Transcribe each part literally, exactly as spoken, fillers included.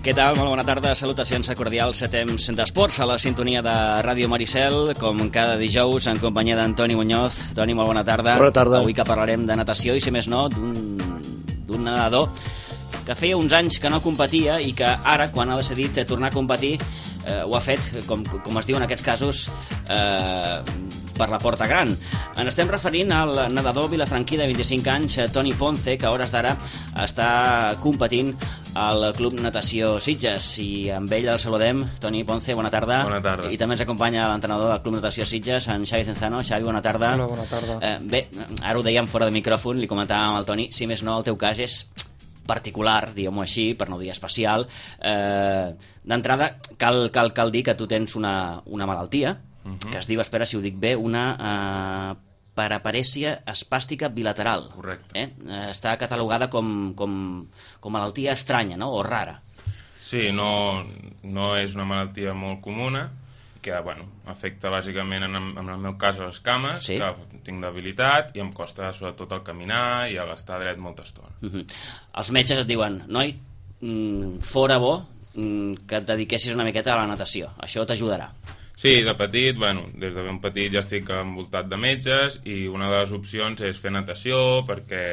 Què tal? Molt bona tarda, salutacions cordials a temps d'esports a la sintonia de Ràdio Maricel, com cada dijous en companyia d'Antoni Muñoz. Toni, molt bona tarda. Bona tarda. Avui que parlarem de natació i, si més no, d'un nedador que feia uns anys que no competia i que ara, quan ha decidit tornar a competir, eh, ho ha fet, com, com es diu en aquests casos, eh, per la porta gran. Ens estem referint al nedador vilafranquí de vint-i-cinc anys, Toni Ponce, que a hores d'ara està competint al Club Natació Sitges, i amb ell el saludem. Toni Ponce, bona tarda. Bona tarda. I també ens acompanya l'entrenador del Club Natació Sitges, en Xavi Cenzano. Xavi, bona tarda. Hola, bona tarda. Eh, bé, ara ho dèiem fora de micròfon, li comentàvem al Toni, si més no, el teu cas és particular, diguem-ho així, per no dir especial. Eh, D'entrada, cal, cal, cal dir que tu tens una, una malaltia, uh-huh. que es diu, espera si ho dic bé, una eh, paraparèsia espàstica bilateral. Correcte. Eh? Està catalogada com, com, com malaltia estranya, no?, o rara. Sí, no, no és una malaltia molt comuna, que bueno, afecta bàsicament, en, en el meu cas, a les cames, sí. que tinc debilitat i em costa sobretot el caminar i l'estar dret molta estona. Uh-huh. Els metges et diuen, noi, mm, fora bo mm, que et dediquessis una miqueta a la natació, això t'ajudarà. Sí, de petit, bueno, des de ben petit ja estic envoltat de metges i una de les opcions és fer natació perquè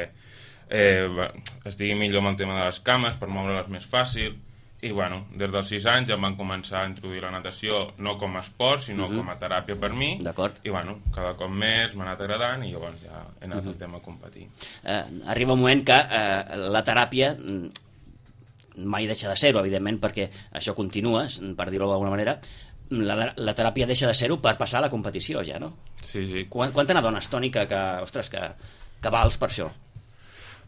eh, estigui millor amb el tema de les cames, per moure-les més fàcil. I bueno, des dels sis anys ja em van començar a introduir la natació no com a esport, sinó uh-huh. com a teràpia per mi. D'acord. I bueno, cada cop més m'ha anat agradant i llavors ja he anat uh-huh. al tema a competir. Eh, arriba un moment que eh, la teràpia mai deixa de ser-ho, evidentment, perquè això continua, per dir-ho d'alguna manera. La, la teràpia deixa de ser-ho per passar a la competició ja, no? Sí, sí. Quan, quan te n'adones, Toni, que, que, ostres, que, que vals per això?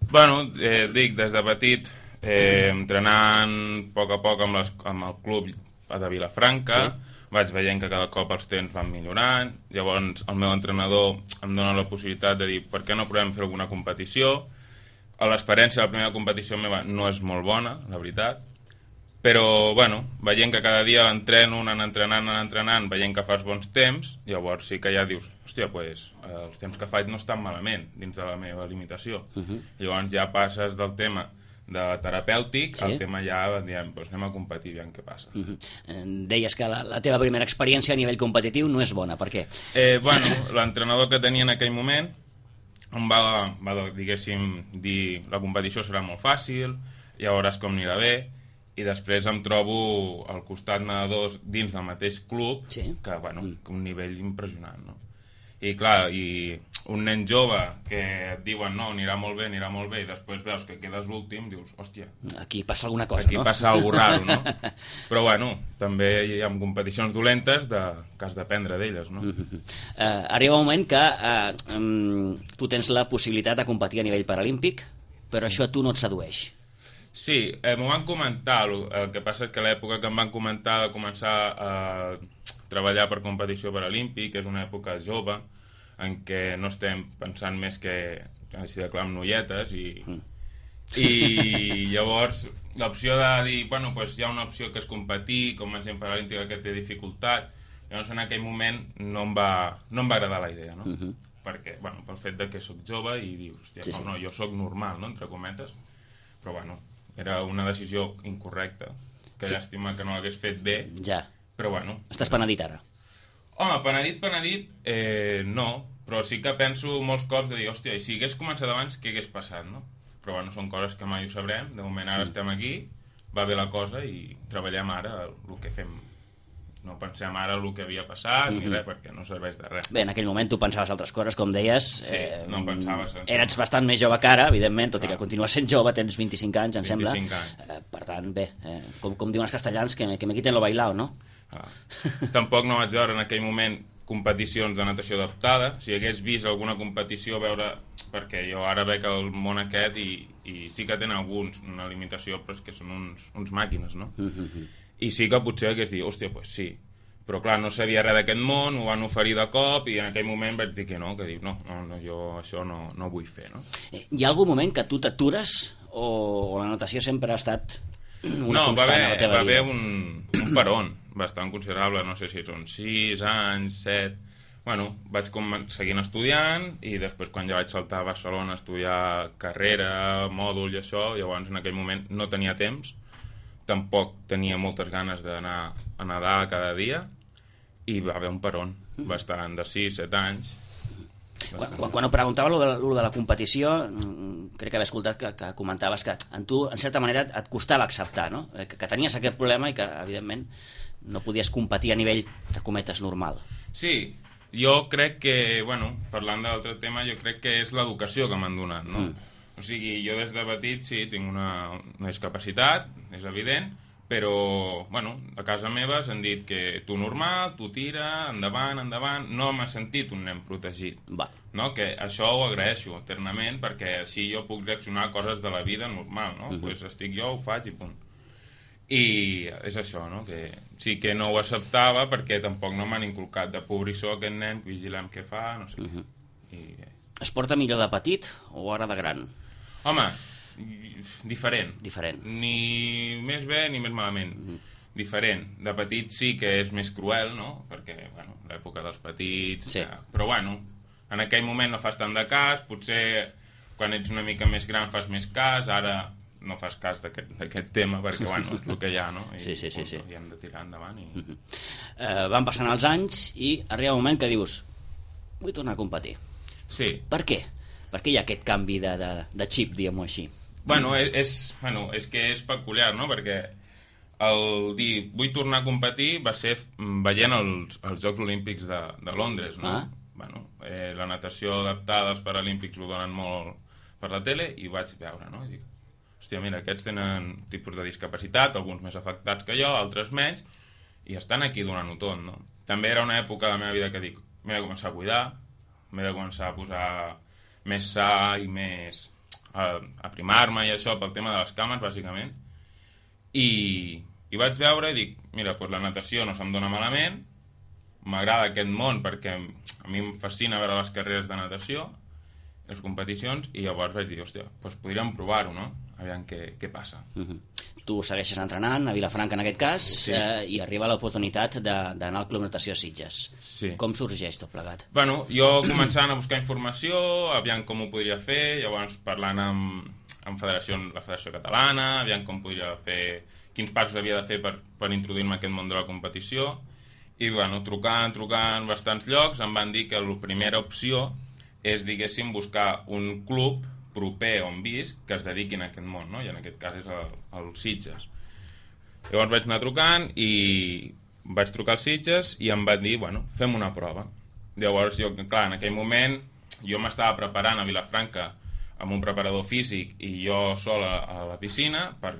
Bueno, eh, dic, des de petit... Eh, entrenant a poc a poc amb, les, amb el club de Vilafranca, sí. vaig veient que cada cop els temps van millorant. Llavors el meu entrenador em dona la possibilitat de dir per què no provem fer alguna competició. L'experiència de la primera competició meva no és molt bona, la veritat, però bueno, veient que cada dia l'entreno, anant entrenant, anant entrenant, veient que fas bons temps, llavors sí que ja dius, hòstia, pues, eh, els temps que faig no estan malament dins de la meva limitació. Uh-huh. Llavors ja passes del tema de terapèutic, sí. el tema ja diem, doncs anem a competir, veiem què passa. Uh-huh. Deies que la, la teva primera experiència a nivell competitiu no és bona, per què? Eh, bueno, l'entrenador que tenia en aquell moment em va, va, diguéssim, dir la competició serà molt fàcil, ja veuràs com anirà bé, i després em trobo al costat nedadors dins del mateix club, sí. que, bueno, mm. un nivell impressionant, no? I clar, i un nen jove que et diuen no, anirà molt bé, anirà molt bé, i després veus que quedes últim, dius, hòstia, aquí passa alguna cosa, aquí no? Aquí passa alguna cosa raro, no? Però bueno, també hi ha competicions dolentes de, que has d'aprendre d'elles, no? Uh-huh. Uh, arriba un moment que uh, um, tu tens la possibilitat de competir a nivell paralímpic, però això a tu no et sedueix. Sí, eh, m'ho van comentar, el que passa és que a l'època que em van comentar de començar a treballar per competició paralímpic, és una època jove, en què no estem pensant més que així de clar amb noietes i, mm. i llavors l'opció de dir, bueno, pues hi ha una opció que és competir, com a gent paralímpica que té dificultat, llavors en aquell moment no em va, no em va agradar la idea, no? Mm-hmm. Perquè, bueno, pel fet de que sóc jove i dius, hòstia, sí, sí. no, no, jo sóc normal, no?, entre cometes, però bueno, era una decisió incorrecta, que sí. llàstima que no l'hagués fet bé, ja. Però bueno. Estàs penedit ara? Home, penedit, penedit, eh, no, però sí que penso molts cops de dir, hòstia, i si hagués començat abans, què hagués passat, no? Però bueno, són coses que mai ho sabrem, de moment ara mm. estem aquí, va bé la cosa i treballem ara el que fem. No pensem ara el que havia passat mm-hmm. ni res, perquè no serveix de res. Bé, en aquell moment tu pensaves altres coses, com deies. Sí, eh, no pensaves. Eres bastant més jove que ara, evidentment, tot Clar. I que continues sent jove, tens vint-i-cinc anys, em sembla. vint-i-cinc anys. Eh, per tant, bé, eh, com, com diuen els castellans, que, que me quiten lo bailao, no? Ah. Tampoc no vaig veure en aquell moment competicions de natació adaptada. Si hagués vist alguna competició, veure, perquè jo ara veig el món aquest i, i sí que tenen alguns una limitació, però és que són uns, uns màquines, no? Mm-hmm. I sí que potser hagués dit, hòstia, doncs pues sí, però clar, no sabia res d'aquest món, ho van oferir de cop i en aquell moment vaig dir que no, que dic, no, no, no jo això no, no vull fer, no? Hi ha algun moment que tu t'atures o, o la natació sempre ha estat una no, constant haver, a la teva va vida? No, va haver un, un peron bastant considerable, no sé si són sis anys, set... Bueno, vaig com seguint estudiant i després quan ja vaig saltar a Barcelona a estudiar carrera, mòdul i això, llavors en aquell moment no tenia temps tampoc tenia moltes ganes d'anar a nedar cada dia, i va haver un peron bastant de sis set anys. Quan, quan, quan ho preguntava lo de, lo de la competició, crec que haver escoltat que, que comentaves que en tu, en certa manera, et costava acceptar, no? que, que tenies aquest problema i que, evidentment, no podies competir a nivell, de cometes, normal. Sí, jo crec que, bueno, parlant de l'altre tema, jo crec que és l'educació que m'han donat, no? Mm. O sigui, jo des de petit, sí, tinc una, una discapacitat, és evident, però, bueno, a casa meva s'han dit que tu normal, tu tira, endavant, endavant, no m'ha sentit un nen protegit. Va. No? Que això ho agraeixo eternament, perquè així jo puc reaccionar a coses de la vida normal, no? Uh-huh. Pues estic jo, ho faig i punt. I és això, no? Que sí que no ho acceptava perquè tampoc no m'han inculcat de pobrissó aquest nen, vigilem què fa, no sé. Uh-huh. I... Es porta millor de petit o ara de gran? Home, diferent. Diferent. Ni més bé ni més malament. Mm. Diferent. De petit sí que és més cruel, no? Perquè, bueno, l'època dels petits... Sí. Ja... Però, bueno, en aquell moment no fas tant de cas, potser quan ets una mica més gran fas més cas, ara no fas cas d'aquest tema, perquè, bueno, és el que hi ha, no? I, sí, sí, sí, sí. I hem de tirar endavant. I... Mm-hmm. eh, van passant els anys i arriba un moment que dius vull tornar a competir. Sí. Per què? Per què hi ha aquest canvi de, de, de xip, diguem-ho així? Bueno és, és, bueno, és que és peculiar, no? Perquè el dir vull tornar a competir va ser veient els, els Jocs Olímpics de, de Londres, no? Ah. Bueno, eh, la natació adaptada als Paralímpics ho donen molt per la tele i ho vaig veure, no? I dic, hòstia, mira, aquests tenen tipus de discapacitat, alguns més afectats que jo, altres menys, i estan aquí donant-ho tot, no? També era una època de la meva vida que dic, m'he de començar a cuidar, m'he de començar a posar més sa i més a, a primar-me i això pel tema de les cames, bàsicament. I, i vaig veure i dic, mira, doncs la natació no se'm dona malament, m'agrada aquest món perquè a mi em fascina veure les carreres de natació, les competicions, i llavors vaig dir, hòstia, doncs podríem provar-ho, no? Aviam què, què passa. Uh-huh. Tu segueixes entrenant a Vilafranca en aquest cas, sí. eh, i arriba l'oportunitat d'anar al Club Natació Sitges. Sí. Com sorgeix tot plegat? Bueno, jo començant a buscar informació, aviam com ho podria fer, llavors parlant amb, amb federació, la Federació Catalana, aviam com podria fer, quins passos havia de fer per, per introduir-me a aquest món de la competició, i bueno, trucant, trucant bastants llocs, em van dir que la primera opció és, diguéssim, buscar un club proper on visc que es dediquin a aquest món, no? I en aquest cas és el, el Sitges. Llavors vaig anar trucant i vaig trucar als Sitges i em van dir, bueno, fem una prova. Llavors jo, clar, en aquell moment jo m'estava preparant a Vilafranca amb un preparador físic i jo sol a, a la piscina per,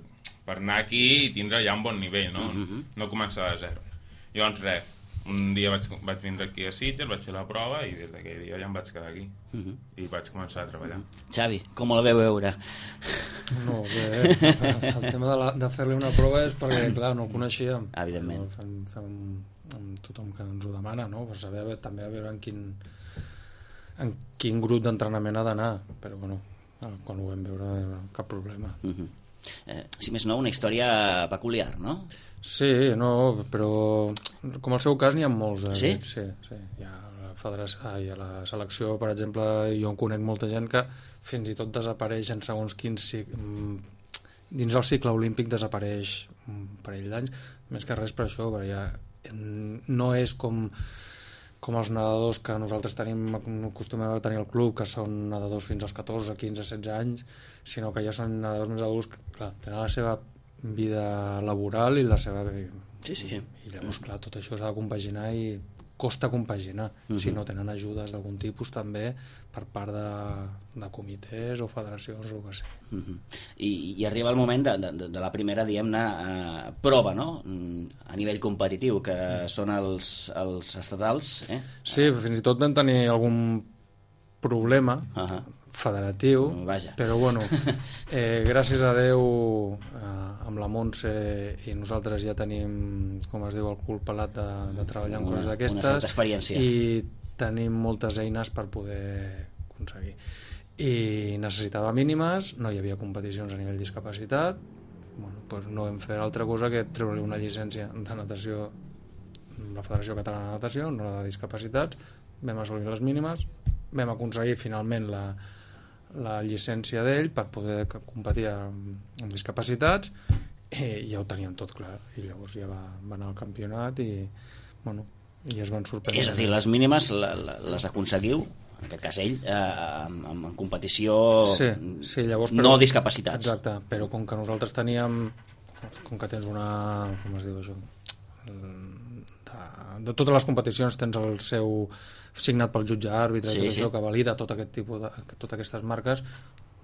per anar aquí i tindre ja un bon nivell, no? Mm-hmm. No començar de zero. Llavors res, un dia vaig, vaig vindre aquí a Sitges, vaig fer la prova i des d'aquell dia ja em vaig quedar aquí. Uh-huh. I vaig començar a treballar. Uh-huh. Xavi, com el veu veure? No, bé, el tema de, la, de fer-li una prova és perquè, clar, no el coneixíem. Evidentment. No, fem, fem amb tothom que ens ho demana, no? Per saber també a veure en quin, en quin grup d'entrenament ha d'anar. Però, bueno, quan ho vam veure, cap problema. Uh-huh. Eh, si més no, una història peculiar, no? Sí, no, però com el seu cas n'hi ha molts. Eh? Sí? Sí, sí. Hi ha la federació, ah, hi ha la selecció, per exemple, jo en conec molta gent que fins i tot desapareix en segons quins dins del cicle olímpic desapareix un parell d'anys, més que res per això, perquè ja no és com com els nedadors que nosaltres tenim acostumem a tenir al club, que són nedadors fins als catorze, quinze, setze anys, sinó que ja són nedadors més adults que, clar, tenen la seva vida laboral i la seva... Sí, sí. I llavors, clar, tot això s'ha de compaginar i costa compaginar, uh-huh. si no tenen ajudes d'algun tipus també per part de, de comitès o federacions o el que sé. Uh-huh. I, I arriba el moment de, de, de la primera, diguem-ne, eh, prova, no?, a nivell competitiu, que són els, els estatals. Eh? Sí, fins i tot vam tenir algun problema uh-huh. federatiu, Vaja. Però bueno, eh, gràcies a Déu eh, amb la Montse i nosaltres ja tenim, com es diu, el cul pelat de, de treballar en coses d'aquestes i tenim moltes eines per poder aconseguir. I necessitava mínimes, no hi havia competicions a nivell discapacitat, bueno, doncs no vam fer altra cosa que treure-li una llicència de natació amb la Federació Catalana de Natació, no la de discapacitats, vam assolir les mínimes, vam aconseguir finalment la la llicència d'ell per poder competir amb, amb discapacitats i ja ho tenien tot clar, i llavors ja va, va anar al campionat i, bueno, i es van sorprendre. És a dir, les mínimes les aconseguiu, en aquest cas ell, eh, en, en competició sí, sí, llavors, però, no discapacitats. Exacte, però com que nosaltres teníem, com que tens una, com es diu això, de, de totes les competicions tens el seu signat pel jutge àrbitre, sí, sí. Això, que valida tot aquest tipus de, totes aquestes marques,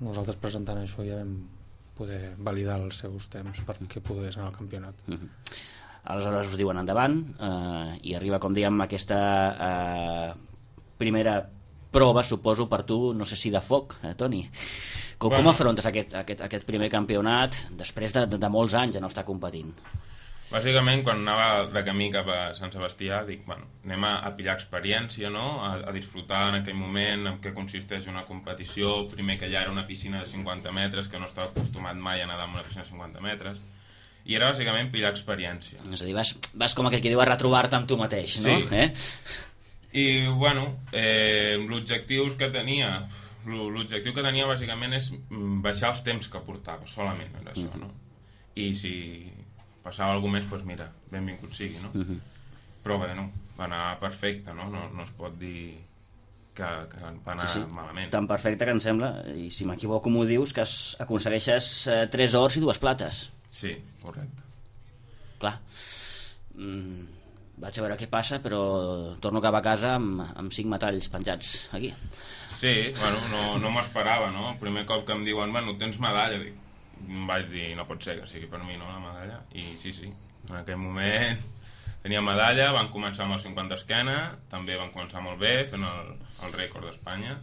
nosaltres presentant això ja vam poder validar els seus temps perquè pogués anar al campionat. Mm-hmm. Aleshores us diuen endavant eh, i arriba, com dèiem, aquesta eh, primera prova, suposo, per tu, no sé si de foc, eh, Toni. Com, bueno. com afrontes aquest, aquest, aquest primer campionat després de, de, de molts anys de no estar competint? Bàsicament, quan anava de camí cap a Sant Sebastià, dic, bueno, anem a, a pillar experiència, no? a, a disfrutar en aquell moment en què consisteix una competició. Primer, que ja era una piscina de cinquanta metres, que no estava acostumat mai a nedar en una piscina de cinquanta metres, i era bàsicament pillar experiència. És a dir, vas, vas com aquell que diu a retrobar-te amb tu mateix, no? Sí. Eh? I, bueno, eh, l'objectiu que tenia, l'objectiu que tenia bàsicament és baixar els temps que portava, solament era això, no? I si passava alguna més, doncs mira, benvingut sigui, no? Uh-huh. Però bé, no, va anar perfecte, no? No, no es pot dir que, que va anar sí, sí. malament. Tan perfecte que em sembla, i si m'equivoco m'ho dius, que aconsegueixes eh, tres ors i dues plates. Sí, correcte. Clar. Mm, vaig a veure què passa, però torno cap a casa amb, amb cinc metalls penjats aquí. Sí, bueno, no, no m'esperava, no? El primer cop que em diuen, bueno, tens medalla, dic, em vaig dir, no pot ser que sigui per mi, no, la medalla? I sí, sí, en aquell moment tenia medalla, van començar amb el cinquanta esquena, també van començar molt bé, fent el, el rècord d'Espanya,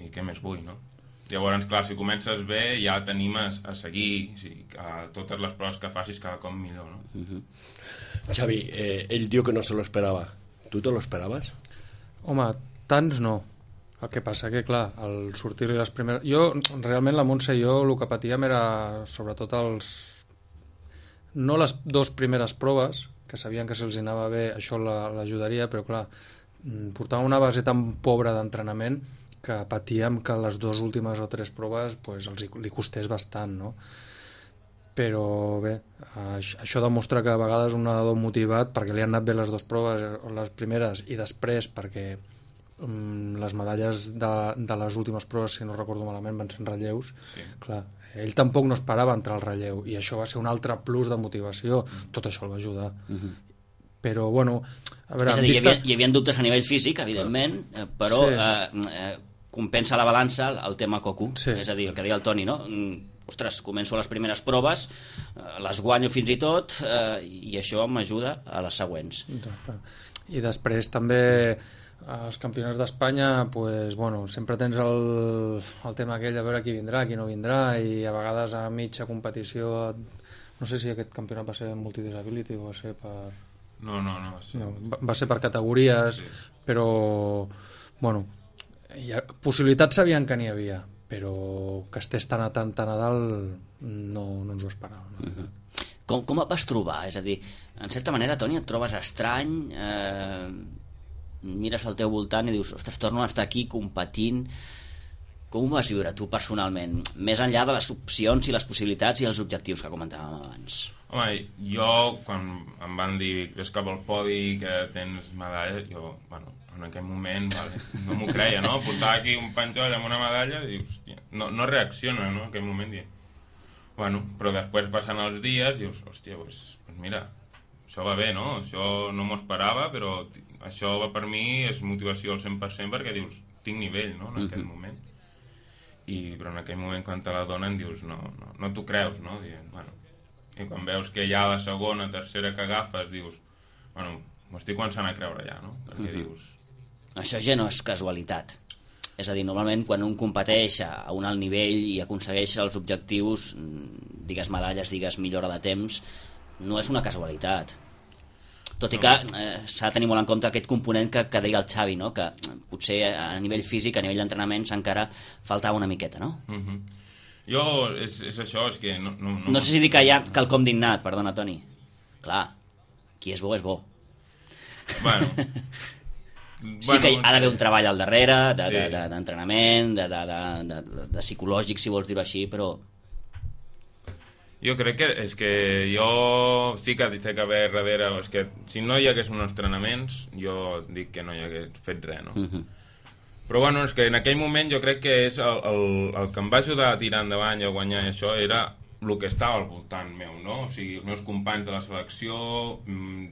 i què més vull, no? Llavors, clar, si comences bé, ja t'animes a seguir, o sigui, a totes les proves que facis cada cop millor, no? Uh-huh. Xavi, eh, ell diu que no se lo esperava. Tu te lo esperaves? Home, tants no. El que passa que, clar, al sortir-li les primeres... Jo, realment, la Montse i jo, el que patíem era, sobretot, els... No les dues primeres proves, que sabien que se'ls anava bé, això l'ajudaria, però, clar, portava una base tan pobra d'entrenament que patíem que les dues últimes o tres proves pues, els, li costés bastant, no? Però bé, això demostra que a vegades un nedador motivat, perquè li han anat bé les dues proves, les primeres, i després perquè um, les medalles de, de les últimes proves, si no recordo malament, van ser en relleus, sí. Clar, ell tampoc no esperava entrar al relleu, i això va ser un altre plus de motivació, mm. tot això el va ajudar. Mm-hmm. Però, bueno... A veure, és a dir, vista... hi, havia, hi havia dubtes a nivell físic, evidentment, però... Sí. Eh, eh, compensa la balança el tema coco, sí. És a dir, el que deia el Toni, no? Ostres, començo les primeres proves, les guanyo fins i tot, eh, i això m'ajuda a les següents. I després també els campionats d'Espanya, pues, bueno, sempre tens el, el tema aquell de veure qui vindrà, qui no vindrà, i a vegades a mitja competició, no sé si aquest campionat va ser multidisability o va ser per... No, no, no. Va ser, no, va, va ser per categories, sí. Però, bueno... Ha, possibilitats sabien que n'hi havia, però que estés tan a tant a dalt no, no ens ho esperàvem. No? Uh-huh. Com, com et vas trobar? És a dir, en certa manera, Toni, et trobes estrany, eh, mires al teu voltant i dius, ostres, torno a estar aquí competint. Com ho vas viure tu personalment, més enllà de les opcions i les possibilitats i els objectius que comentàvem abans? Home, jo, quan em van dir ves cap al podi, que tens medalla, jo, bueno, en aquell moment, vale, no m'ho creia, no? Portar aquí un penjoll amb una medalla i dius, hòstia, no, no reacciona, no? En aquell moment, dius, bueno, però després passant els dies, dius, hòstia, pues, pues mira, això va bé, no? Això no m'ho esperava, però això va per mi, és motivació al cent per cent perquè dius, tinc nivell, no? En aquell moment. I, però en aquell moment, quan te la donen, dius, no, no, no t'ho creus, no? Dient, bueno, i quan veus que ja la segona, tercera que agafes, dius, bueno, m'ho estic començant a creure ja, no? Perquè uh-huh. dius... Això ja no és casualitat. És a dir, normalment quan un competeix a un alt nivell i aconsegueix els objectius, digues medalles, digues millora de temps, no és una casualitat. Tot i que eh, s'ha de tenir molt en compte aquest component que, que deia el Xavi, no? Que potser a nivell físic, a nivell d'entrenaments, encara faltava una miqueta, no? Uh-huh. Jo, és, és això, és que... No, no, no... no sé si dic que hi ha quelcom d'innat, perdona, Toni. Clar, qui és bo és bo. Bueno... Sí bueno, que hi ha d'haver un treball al darrere, d'entrenament, de, de, de, de, de, de, de psicològic, si vols dir-ho així, però... Jo crec que és que jo sí que té que haver darrere, és que si no hi hagués uns entrenaments jo dic que no hi hagués fet res, no? Uh-huh. Però bueno, és que en aquell moment jo crec que és el, el, el que em va ajudar a tirar endavant i a guanyar i això era el que estava al voltant meu, no? O sigui, els meus companys de la selecció,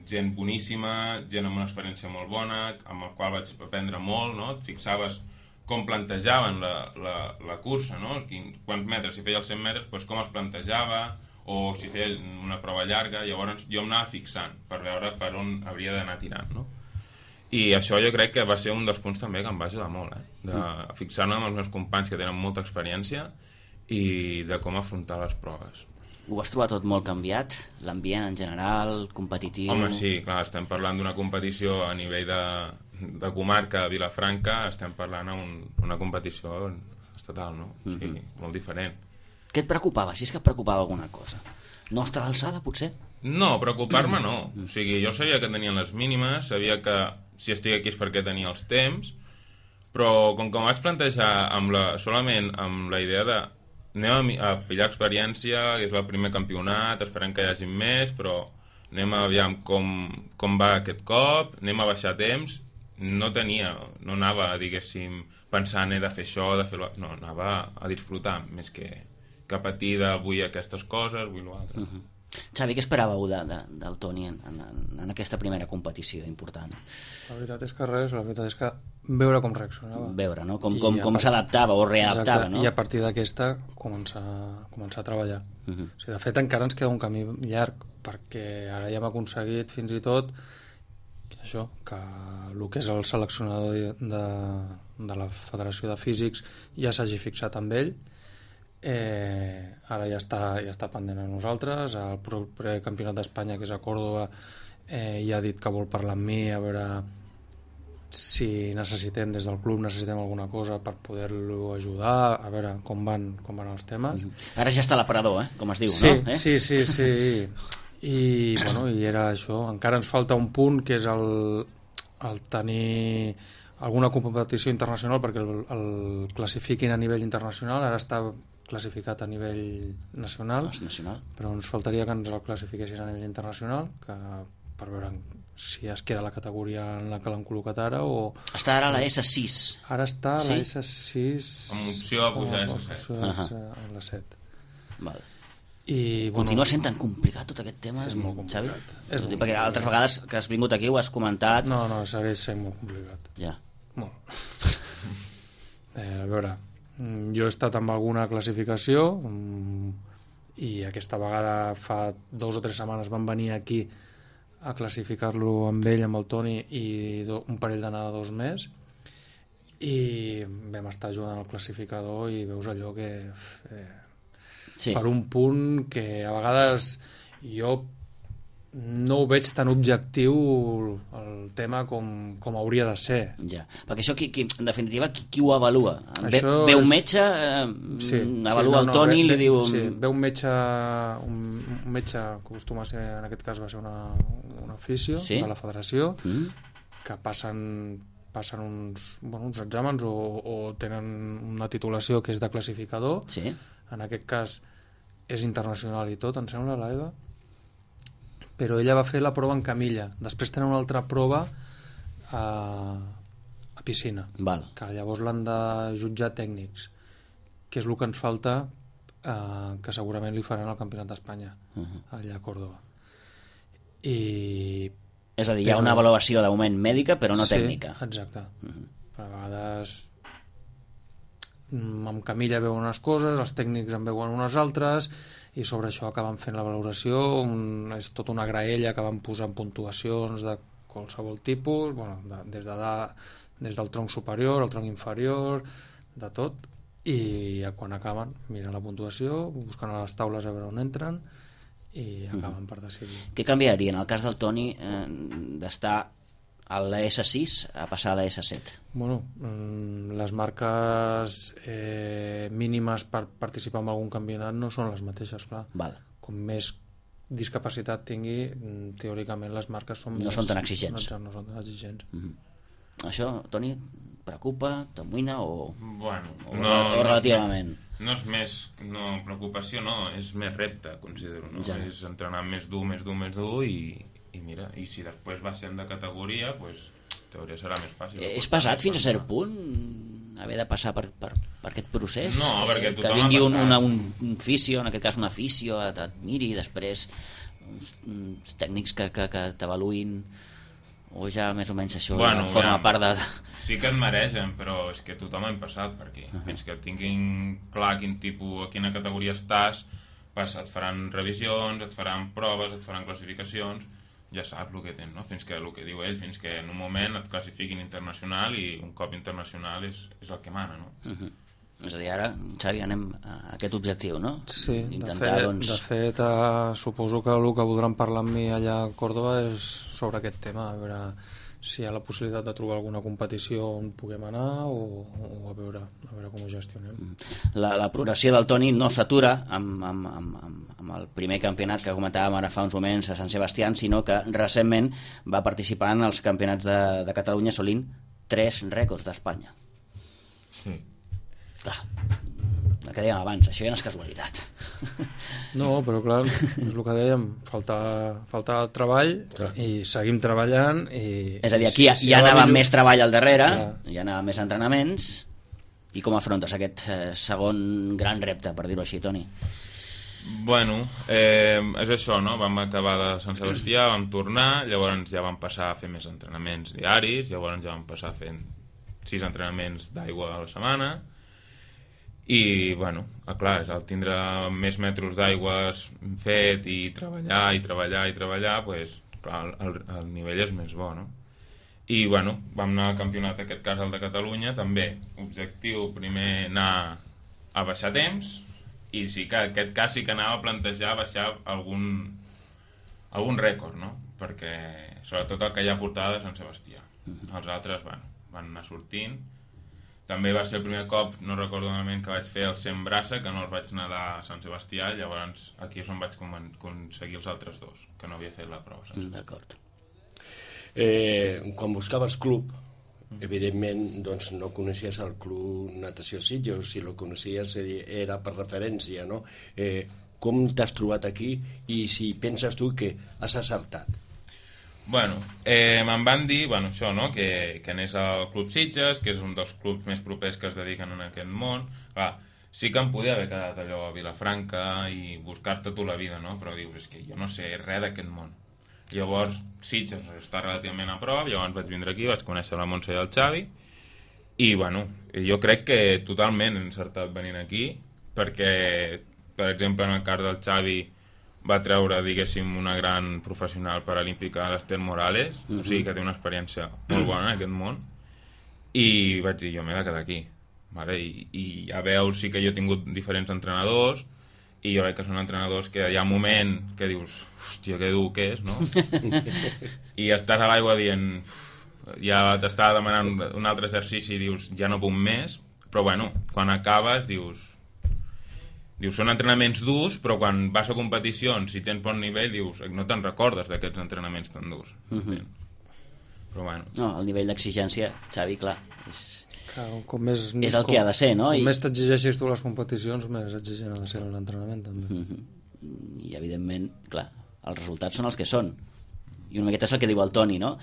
gent boníssima, gent amb una experiència molt bona, amb el qual vaig aprendre molt, no? Et fixaves com plantejaven la, la, la cursa, no? Quants metres, si feia els cent metres, doncs com els plantejava, o si feia una prova llarga, llavors jo em anava fixant per veure per on hauria d'anar tirant, no? I això jo crec que va ser un dels punts també que em va ajudar molt, eh? De fixar-me amb els meus companys que tenen molta experiència i de com afrontar les proves. Ho has trobat tot molt canviat? L'ambient en general, competitiu? Home, sí, clar, estem parlant d'una competició a nivell de, de comarca a Vilafranca, estem parlant d'una competició estatal, no? O sigui, mm-hmm. molt diferent. Què et preocupava? Si és que et preocupava alguna cosa? No estar a l'alçada, potser? No, preocupar-me no. O sigui, jo sabia que tenien les mínimes, sabia que si estic aquí és perquè tenia els temps, però com que em vaig plantejar amb la, solament amb la idea de anem a, a pillar experiència, que és el primer campionat, esperem que hi hagi més, però anem a aviam com, com va aquest cop, anem a baixar temps, no tenia, no anava, diguéssim, pensant he de fer això, de fer-ho... No, anava a disfrutar, més que, que patir de vull aquestes coses, vull l'altre. Uh-huh. Xavi, què esperàveu de, de, del Toni en, en, en aquesta primera competició important? La veritat és que res, la veritat és que veure com reaccionava. Veure, no? Com, com, com s'adaptava o readaptava, no? I a partir d'aquesta començar, començar a treballar. Uh-huh. O sigui, de fet, encara ens queda un camí llarg, perquè ara ja hem aconseguit fins i tot això, que el que és el seleccionador de, de la Federació de Físics ja s'hagi fixat amb ell. Eh, ara ja està, ja està pendent a nosaltres. El proper campionat d'Espanya, que és a Còrdova, eh, ja ha dit que vol parlar amb mi a veure si necessitem des del club necessitem alguna cosa per poder-lo ajudar, a veure com van, com van els temes. Ara ja està a l'aparador, eh? Com es diu, sí, no? Eh? Sí, sí, sí. I, bueno, i era això. Encara ens falta un punt, que és el, el tenir alguna competició internacional perquè el, el classifiquin a nivell internacional. Ara està classificat a nivell nacional, nacional, però ens faltaria que ens el classifiquessin a nivell internacional, que per veure si es queda la categoria en la que l'han col·locat ara o... Està ara a la essa sis. Ara està a sí? la essa sis... Amb opció a pujar a essa set. A la set. Val. I, bueno, continua sent tan complicat tot aquest tema? És molt complicat. Xavi? És molt perquè altres vegades que has vingut aquí ho has comentat... No, no, segueix sent molt complicat. Ja. Molt. eh, a veure... Jo he estat amb alguna classificació i aquesta vegada fa dos o tres setmanes van venir aquí a classificar-lo amb ell, amb el Toni, i do, un parell de nedadors més, i vam estar ajudant al classificador i veus allò que eh, sí. Per un punt que a vegades jo no ho veig tan objectiu el tema com, com hauria de ser. Ja, perquè això, qui, qui, en definitiva, qui, qui ho avalua? Ve, ve un metge, eh, sí, avalua sí, no, el Toni i li diu... Sí, ve un metge, un, un metge que acostuma a ser, en aquest cas va ser una, un oficio sí? de la federació, mm. que passen, passen uns, bueno, uns exàmens o, o tenen una titulació que és de classificador. Sí. En aquest cas és internacional i tot, em sembla, l'Eva. Però ella va fer la prova en camilla. Després tenen una altra prova a, a piscina. Val. Que llavors l'han de jutjar tècnics, que és el que ens falta, eh, que segurament li faran al Campionat d'Espanya, uh-huh. allà a Còrdova. I... És a dir, hi ha una avaluació de moment mèdica, però no sí, tècnica. Exacte. Uh-huh. Per a vegades amb camilla veuen unes coses, els tècnics en veuen unes altres, i sobre això acaben fent la valoració. Un, és tota una graella que van posant puntuacions de qualsevol tipus, bueno, de, des, de da, des del tronc superior al tronc inferior, de tot, i quan acaben miren la puntuació, busquen a les taules a veure on entren i acaben uh-huh. per decidir. Què canviaria en el cas del Toni eh, d'estar a la essa sis a passar a la essa set? Bueno, les marques eh, mínimes per participar en algun campionat no són les mateixes, clar. Val. Com més discapacitat tingui, teòricament les marques són no més, són tan exigents. No, no són tan exigents. Mm-hmm. Això, Toni, preocupa, t'amoïna o, bueno, o, no, o relativament? No és més, no, preocupació no, és més repte, considero, no? Ja. És entrenar més dur, més dur, més dur i, i mira, i si després baixem de categoria, pues, teoria serà més fàcil. És pesat fins a cert punt haver de passar per, per, per aquest procés? No, perquè tothom que vingui un, una, un, un fisio, en aquest cas un aficio, et miri, després uns, uns tècnics que, que, que t'avaluïn, o ja més o menys això bueno, ja forma ja, part de... Sí que et mereixen, però és que tothom hem passat per aquí. Uh -huh. Fins que tinguin clar quin tipus, a quina categoria estàs, pas, et faran revisions, et faran proves, et faran classificacions, ja saps el que tens, no? Fins que el que diu ell, fins que en un moment et classifiquin internacional i un cop internacional és, és el que mana, no? Uh -huh. És a dir, ara, Xavi, anem a aquest objectiu, no? Sí, intentar, de fet, doncs... de fet eh, suposo que el que voldran parlar amb mi allà a Còrdova és sobre aquest tema, a veure si hi ha la possibilitat de trobar alguna competició on puguem anar o, o a, veure, a veure com ho gestionem. La, la progressió del Toni no s'atura amb, amb, amb, amb, amb el primer campionat que comentàvem ara fa uns moments a Sant Sebastià, sinó que recentment va participar en els campionats de, de Catalunya assolint tres rècords d'Espanya. Sí. Clar, el que dèiem abans, això ja no és casualitat. No, però clar, és el que dèiem, falta, falta treball clar. I seguim treballant i... És a dir, aquí si, ja, ja anava millor... més treball al darrere, clar. Ja anava més entrenaments. I com afrontes aquest eh, segon gran repte, per dir-ho així, Toni? Bueno, eh, és això, no? Vam acabar de Sant Sebastià, vam tornar, llavors ja vam passar a fer més entrenaments diaris, llavors ja vam passar a fer sis entrenaments d'aigua a la setmana. I, bueno, clar, al tindre més metres d'aigua fet i treballar i treballar i treballar, pues, clar, el, el nivell és més bo, no? I, bueno, vam anar al campionat, en aquest cas el de Catalunya, també, objectiu primer anar a baixar temps, i sí que aquest cas sí que anava a plantejar baixar algun, algun rècord, no? Perquè, sobretot el que ja portava de Sant Sebastià. Els altres, bueno, van anar sortint. També va ser el primer cop, no recordo malament, que vaig fer el cent braça, que no els vaig nedar a Sant Sebastià, llavors aquí és on vaig aconseguir els altres dos, que no havia fet la prova. D'acord. Eh, quan buscaves club, evidentment doncs, no coneixies el club Natació Sitges, si el coneixies era per referència, no? Eh, com t'has trobat aquí i si penses tu que has acertat? Bueno, eh, me'n van dir, bueno, això, no?, que, que anés al Club Sitges, que és un dels clubs més propers que es dediquen en aquest món. Clar, sí que em podia haver quedat allò a Vilafranca i buscar-te tu la vida, no? Però dius, és que jo no sé res d'aquest món. Llavors, Sitges està relativament a prop, llavors vaig vindre aquí, vaig conèixer la Montse i el Xavi, i, bueno, jo crec que totalment he encertat venint aquí, perquè, per exemple, en el cas del Xavi, va treure, diguéssim, una gran professional paralímpica, l'Ester Morales, uh-huh. O sigui que té una experiència molt bona en aquest món, i vaig dir, jo m'he de quedar aquí, vale? I, i ja veus, sí que jo he tingut diferents entrenadors, i jo veig que són entrenadors que hi ha un moment que dius, hòstia, que dur que és, no? I estàs a l'aigua dient, ja t'està demanant un altre exercici i dius, ja no puc més, però bueno, quan acabes dius, Dius, són entrenaments durs, però quan vas a competicions, si tens bon nivell, dius, no te'n recordes d'aquests entrenaments tan durs. Uh-huh. Però bueno. No, el nivell d'exigència, Xavi, clar, és, clar, com més, és el com, que ha de ser, no? Com I... més t'exigeixis tu les competicions, més exigent ha de ser l'entrenament, també. Uh-huh. I, evidentment, clar, els resultats són els que són. I una miqueta és el que diu el Toni, no?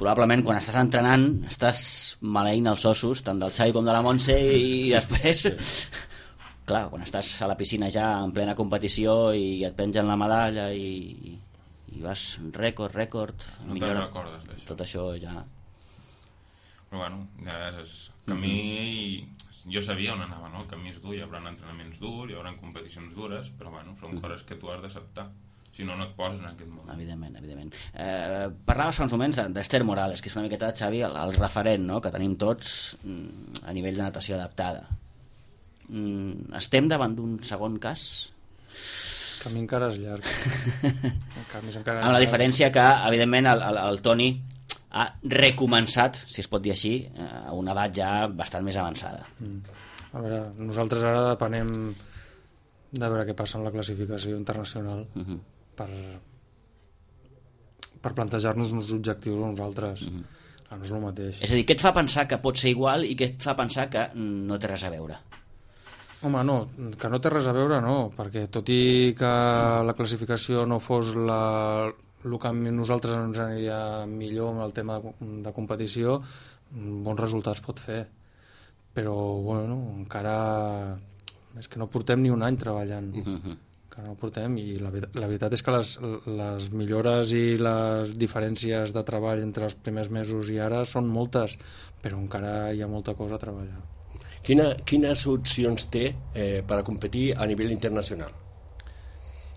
Probablement, quan estàs entrenant, estàs maleint els ossos, tant del Xavi com de la Montse, i després... Clar, quan estàs a la piscina ja en plena competició i et pengen la medalla i, i vas rècord, rècord... No te'n recordes d'això. Tot això ja... Però bueno, ja és camí... Mm-hmm. Jo sabia on anava, no? El camí és dur, hi haurà entrenaments durs, hi haurà competicions dures, però bueno, són mm-hmm. coses que tu has d'acceptar. Si no, no et poses en aquest món. Evidentment, evidentment. Eh, parlaves fa uns moments d'Ester Morales, que és una miqueta, Xavi, el, el referent, no?, que tenim tots a nivell de natació adaptada. Mm, estem davant d'un segon cas? El camí encara és llarg. El camí encara és amb la diferència que, evidentment, el, el, el Toni ha recomençat, si es pot dir així, a una edat ja bastant més avançada. Mm. A veure, nosaltres ara depenem de veure què passa amb la classificació internacional uh-huh. per, per plantejar-nos uns objectius a nosaltres. Uh-huh. Clar, no és el mateix. És a dir, què et fa pensar que pot ser igual i què et fa pensar que no té res a veure? Home, no, que no té res a veure, no, perquè tot i que la classificació no fos la, el que a nosaltres ens aniria millor amb el tema de, de competició, bons resultats pot fer. Però, bueno, encara... És que no portem ni un any treballant. Uh-huh. Que no portem, i la, la veritat és que les, les millores i les diferències de treball entre els primers mesos i ara són moltes, però encara hi ha molta cosa a treballar. Quina, quines opcions té eh, per a competir a nivell internacional?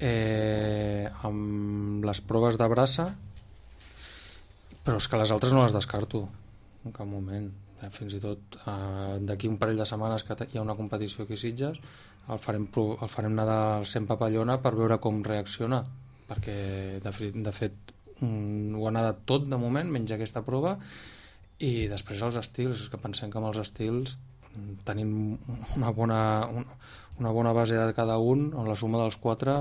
Eh, amb les proves de braça, però és que les altres no les descarto en cap moment. Eh, fins i tot eh, d'aquí un parell de setmanes que hi ha una competició aquí a Sitges, el farem, el farem nedar al cent papallona per veure com reacciona, perquè de fet, de fet um, ho ha nedat tot de moment, menys aquesta prova, i després els estils, és que pensem que amb els estils tenim una bona, una, una bona base de cada un, on la suma dels quatre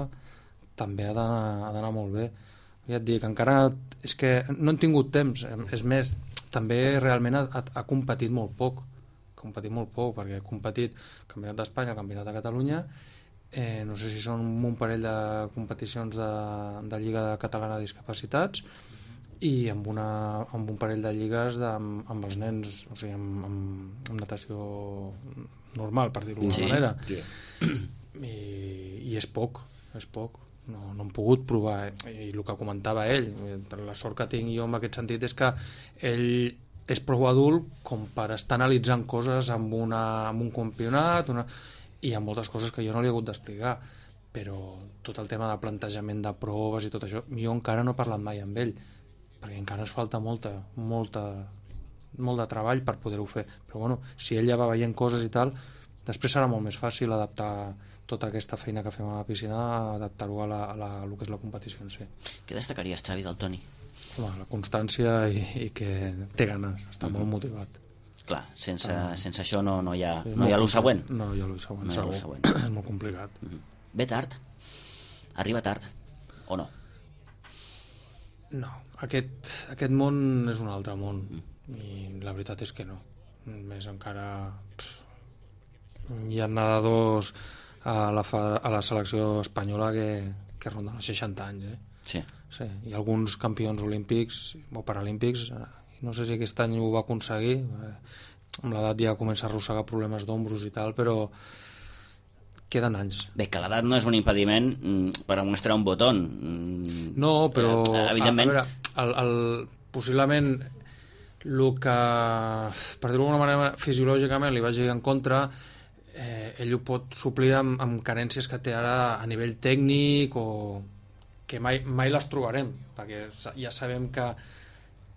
també ha d'anar molt bé. Ja et dic, encara és que no hem tingut temps, és més, també realment ha, ha competit molt poc, competit molt poc, perquè ha competit el Campionat d'Espanya, el Campionat de Catalunya, eh, no sé si són un parell de competicions de, de Lliga Catalana de Discapacitats, i amb, una, amb un parell de lligues de, amb, amb els nens, o sigui, amb, amb, amb natació normal, per dir-ho d'alguna sí, manera. Sí. I, I és poc, és poc. No, no hem pogut provar, i el que comentava ell, la sort que tinc jo en aquest sentit és que ell és prou adult com per estar analitzant coses amb, una, amb un campionat, una... i hi ha moltes coses que jo no li he hagut d'explicar, però tot el tema de plantejament de proves i tot això, jo encara no he parlat mai amb ell, perquè encara ens falta molta, molta, molt de treball per poder-ho fer. Però bueno, si ell ja va veient coses i tal, després serà molt més fàcil adaptar tota aquesta feina que fem a la piscina, adaptar-ho a, la, a, la, a lo que és la competició en si. Què destacaries, Xavi, del Toni? Home, la constància i, i que té ganes, està uh-huh. molt motivat. Clar, sense, uh, sense això no, no hi ha, no hi ha lo següent. No hi ha lo següent, no segur. Següent. És molt complicat. Uh-huh. Ve tard? Arriba tard? O no? No, aquest, aquest món és un altre món, uh-huh. i la veritat és que no. Més encara... Pff, hi ha nedadors a la, a la selecció espanyola que, que ronden els seixanta anys, eh? Sí. Sí. I alguns campions olímpics o paralímpics, no sé si aquest any ho va aconseguir, amb l'edat ja comença a arrossegar problemes d'ombros i tal, però queden anys. Bé, que l'edat no és un impediment per a mostrar un botó. No, però eh, evidentment... a, a veure, el, el, possiblement el que, per dir-ho d'alguna manera, fisiològicament li vagi en contra, eh, ell ho pot suplir amb, amb carències que té ara a nivell tècnic, o que mai, mai les trobarem, perquè ja sabem que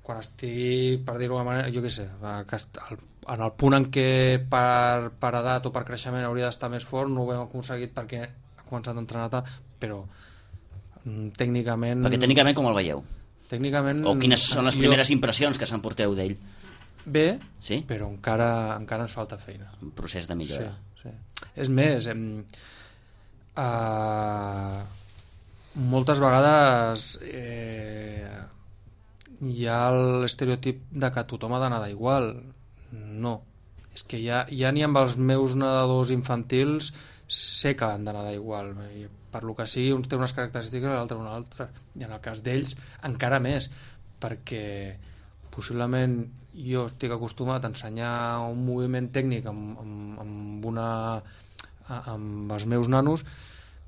quan estigui, per dir-ho d'alguna manera, jo què sé, que en el punt en què per, per edat o per creixement hauria d'estar més fort, no ho hem aconseguit perquè ha començat a entrenar tard, però tècnicament... Perquè tècnicament com el veieu? Tècnicament... O quines són les primeres jo... impressions que s'emporteu d'ell? Bé, sí? Però encara, encara ens falta feina. Un procés de millora. Sí, sí. És més, hem, uh, moltes vegades eh, hi ha l'estereotip de que tothom ha d'anar igual. No. És que ja, ja ni amb els meus nedadors infantils sé que han d'anar igual. Per lo que sigui, un té unes característiques, l'altre una altra. I en el cas d'ells, encara més, perquè possiblement jo estic acostumat a ensenyar un moviment tècnic amb, amb, amb, una, amb els meus nanos,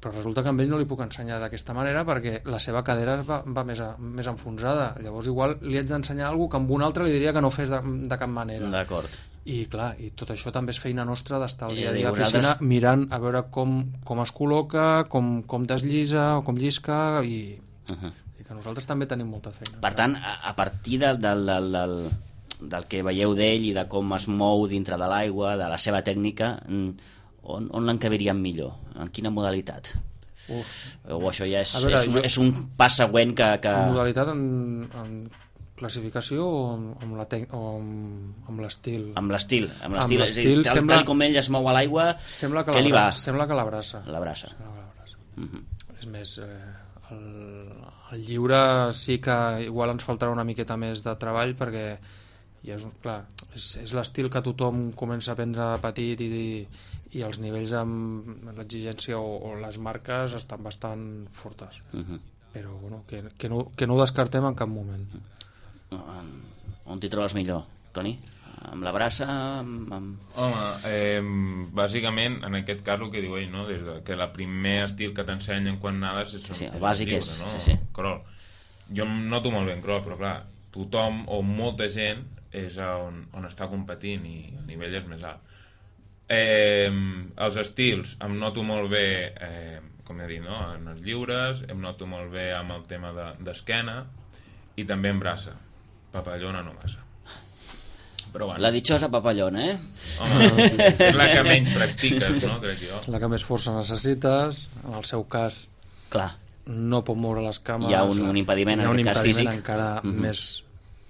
però resulta que amb ell no li puc ensenyar d'aquesta manera perquè la seva cadera va, va més, a, més enfonsada. Llavors igual li haig d'ensenyar alguna que amb un altre li diria que no fes de, de cap manera. D'acord. I clar, i tot això també és feina nostra d'estar al dia a dia a la piscina mirant a veure com, com es col·loca, com, com desllisa o com llisca, i, uh-huh. i que nosaltres també tenim molta feina. Per tant, a, a partir del, del, del, del, del que veieu d'ell i de com es mou dintre de l'aigua, de la seva tècnica, on, on l'encabiríem millor? En quina modalitat? Uf. O això ja és, veure, és, un, jo, és un pas següent que... que... En modalitat en, en classificació o amb, la tec... o amb, amb l'estil? Amb l'estil. Amb l'estil, és a dir, tal, sembla, tal com ell es mou a l'aigua, què li va? Sembla que l'abraça. L'abraça. Uh-huh. És més, eh, el, el lliure sí que igual ens faltarà una miqueta més de treball perquè i és, clar, és, és l'estil que tothom comença a aprendre de petit i, i els nivells amb l'exigència o, o les marques estan bastant fortes. Uh-huh. Però bueno, que, que, no, que no ho descartem en cap moment. On t'hi trobes millor, Toni? Amb la braça? Amb, amb... Home, eh, bàsicament, en aquest cas el que diu ell, no? Des de que el primer estil que t'ensenyen quan nades és, sí, sí, el és bàsic lliure, és, no? sí, sí. Crawl. Jo em noto molt bé en crawl, però clar, tothom o molta gent és on, on està competint i el nivell és més alt. Eh, els estils em noto molt bé, eh, com he dit, no? En els lliures, em noto molt bé amb el tema d'esquena de, i també en braça. Papallona no massa. Però bueno. La ditxosa papallona, eh? Home, és la que menys practiques, no? Crec jo. La que més força necessites, en el seu cas clar, no pot moure les cames, hi ha un, un impediment, hi ha un en aquest cas físic encara uh-huh. més,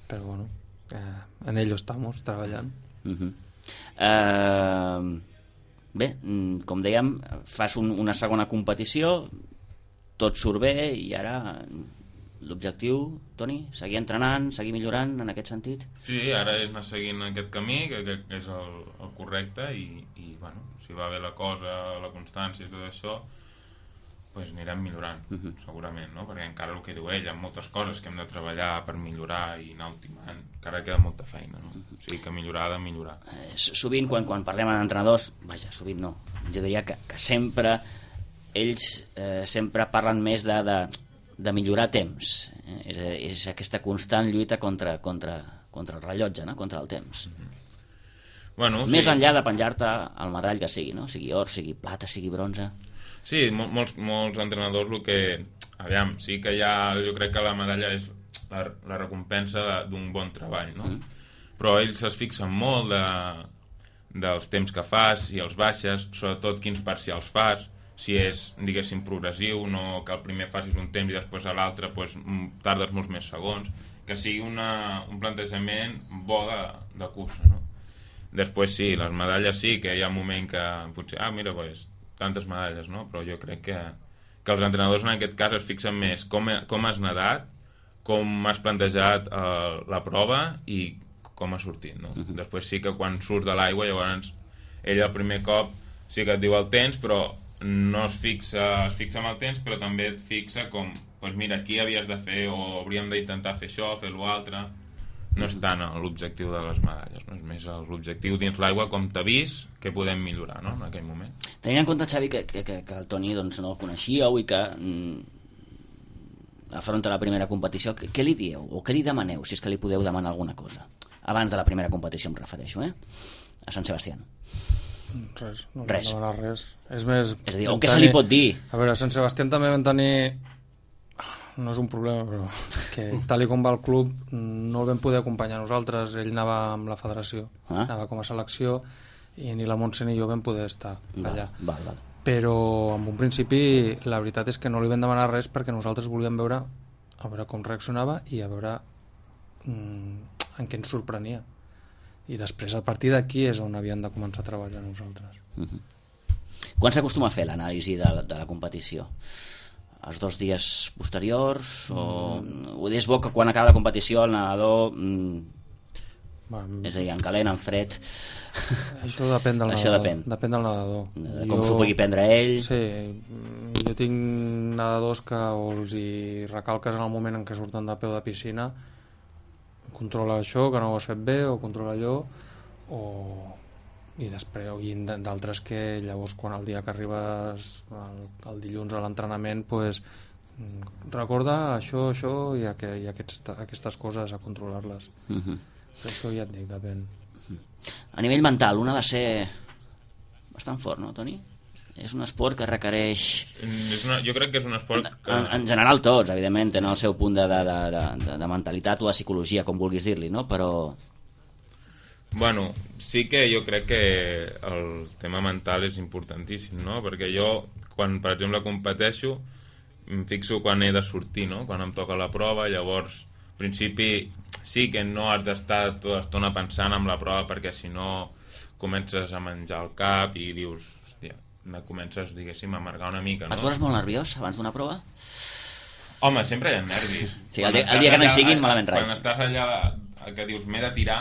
però bueno, eh, en ello estamos treballant. Uh-huh. uh, bé, com dèiem, fas un, una segona competició, tot surt bé i ara l'objectiu, Toni, seguir entrenant, seguir millorant en aquest sentit? Sí, ara és anar seguint aquest camí, que, que és el, el correcte, i, i bueno, si va bé la cosa, la constància i tot això, pues anirem millorant, uh-huh. segurament, no? Perquè encara el que diu ell, hi ha moltes coses que hem de treballar per millorar i anar ultimant, encara queda molta feina, no? Uh-huh. O sigui que millorar ha de millorar. Eh, sovint, quan, quan parlem amb entrenadors, vaja, sovint no, jo diria que, que sempre, ells eh, sempre parlen més de... de de millorar temps, eh? és, és aquesta constant lluita contra, contra, contra el rellotge, no? Contra el temps. Mm-hmm. Bueno, més sí. enllà de penjar-te el medall que sigui, no? Sigui or, sigui plata, sigui bronze. Sí, mol, molts, molts entrenadors el que... Aviam, sí que hi ha... Jo crec que la medalla és la, la recompensa d'un bon treball, no? Mm. Però ells es fixen molt de, dels temps que fas i els baixes, sobretot quins parcials fas, si és, diguéssim, progressiu, no que el primer facis un temps i després a l'altre pues, tardes molts més segons, que sigui una, un plantejament bo de, de cursa, no? Després sí, les medalles sí, que hi ha un moment que potser, ah, mira, pues, tantes medalles, no? Però jo crec que, que els entrenadors en aquest cas es fixen més com, com has nedat, com has plantejat eh, la prova i com ha sortit, no? Uh-huh. Després sí que quan surt de l'aigua, llavors ell el primer cop sí que et diu el temps, però no es fixa, es fixa amb el temps, però també et fixa com, doncs mira, aquí havies de fer, o hauríem d'intentar fer això, fer l'altre. No és tant l'objectiu de les medalles, no? És més l'objectiu dins l'aigua, com t'ha vist, que podem millorar, no?, en aquell moment. Tenint en compte, Xavi, que, que, que el Toni doncs, no el coneixíeu i que mm, afronta la primera competició, què, què li dieu, o què li demaneu, si és que li podeu demanar alguna cosa? Abans de la primera competició em refereixo, eh? A Sant Sebastián. Res, no res. No res. És més... És a dir, o què se li pot dir? A veure, a Sant Sebastián també vam tenir... No és un problema, però que tal i com va el club no el vam poder acompanyar nosaltres. Ell anava amb la federació, ah? anava com a selecció, i ni la Montse ni jo vam poder estar allà. Val, val. Però en un principi la veritat és que no li vam demanar res perquè nosaltres volíem veure a veure com reaccionava i a veure mm, en què ens sorprenia. I després, a partir d'aquí, és on havíem de començar a treballar nosaltres. Uh-huh. Quan s'acostuma a fer l'anàlisi de, de la competició? Els dos dies posteriors? O... Mm. O és bo que quan acaba la competició el nedador... Mm, bueno, és a dir, en calent, en fred... Això depèn del Això nedador. Depèn. depèn del nedador. De com s'ho pugui prendre ell... Sí, jo tinc nedadors que els hi recalques en el moment en què surten de peu de piscina, controla això, que no ho has fet bé, o controla allò, o... i després i d'altres que llavors quan el dia que arribes el, el dilluns a l'entrenament pues, recorda això, això i, aqu i aquests, aquestes coses a controlar-les. Uh-huh. Això ja et dic, depèn. Uh-huh. A nivell mental, un ha de ser bastant fort, no, Toni? És un esport que requereix... És una, jo crec que és un esport que... En, en general tots, evidentment, tenen el seu punt de, de, de, de, de mentalitat o de psicologia, com vulguis dir-li, no? Però... Bueno, sí que jo crec que el tema mental és importantíssim, no? Perquè jo, quan, per exemple, competeixo, em fixo quan he de sortir, no? Quan em toca la prova, llavors, al principi, sí que no has d'estar tota l'estona pensant en la prova, perquè si no comences a menjar el cap i dius, hòstia, comences, diguéssim, a amargar una mica, no? Et poses molt nerviós abans d'una prova? Home, sempre hi ha nervis. Sí, el dia, el dia que no hi siguin, malament rai. Quan estàs allà que dius, m'he de tirar,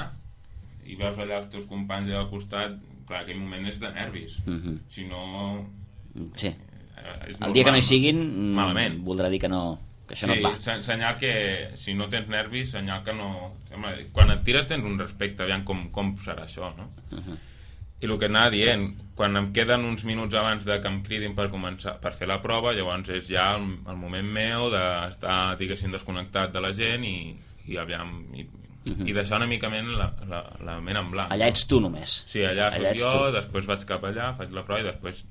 i veus allà els teus companys allà al costat, clar, aquell moment és de nervis. Uh-huh. Si no... Sí. El dia que no hi siguin, malament. Voldrà dir que no... que això sí, no et va. Sí, senyal que si no tens nervis, senyal que no... Quan et tires tens un respecte, aviam com, com serà això, no? Uh-huh. I el que anava dient, quan em queden uns minuts abans de que em cridin per començar per fer la prova, llavors és ja el, el moment meu d'estar, diguéssim, desconnectat de la gent i, i aviam i, uh-huh. i deixar una mica la, la, la ment en blanc. Allà ets tu només. Sí, allà, allà soc jo, tu. Després vaig cap allà, faig la prova i després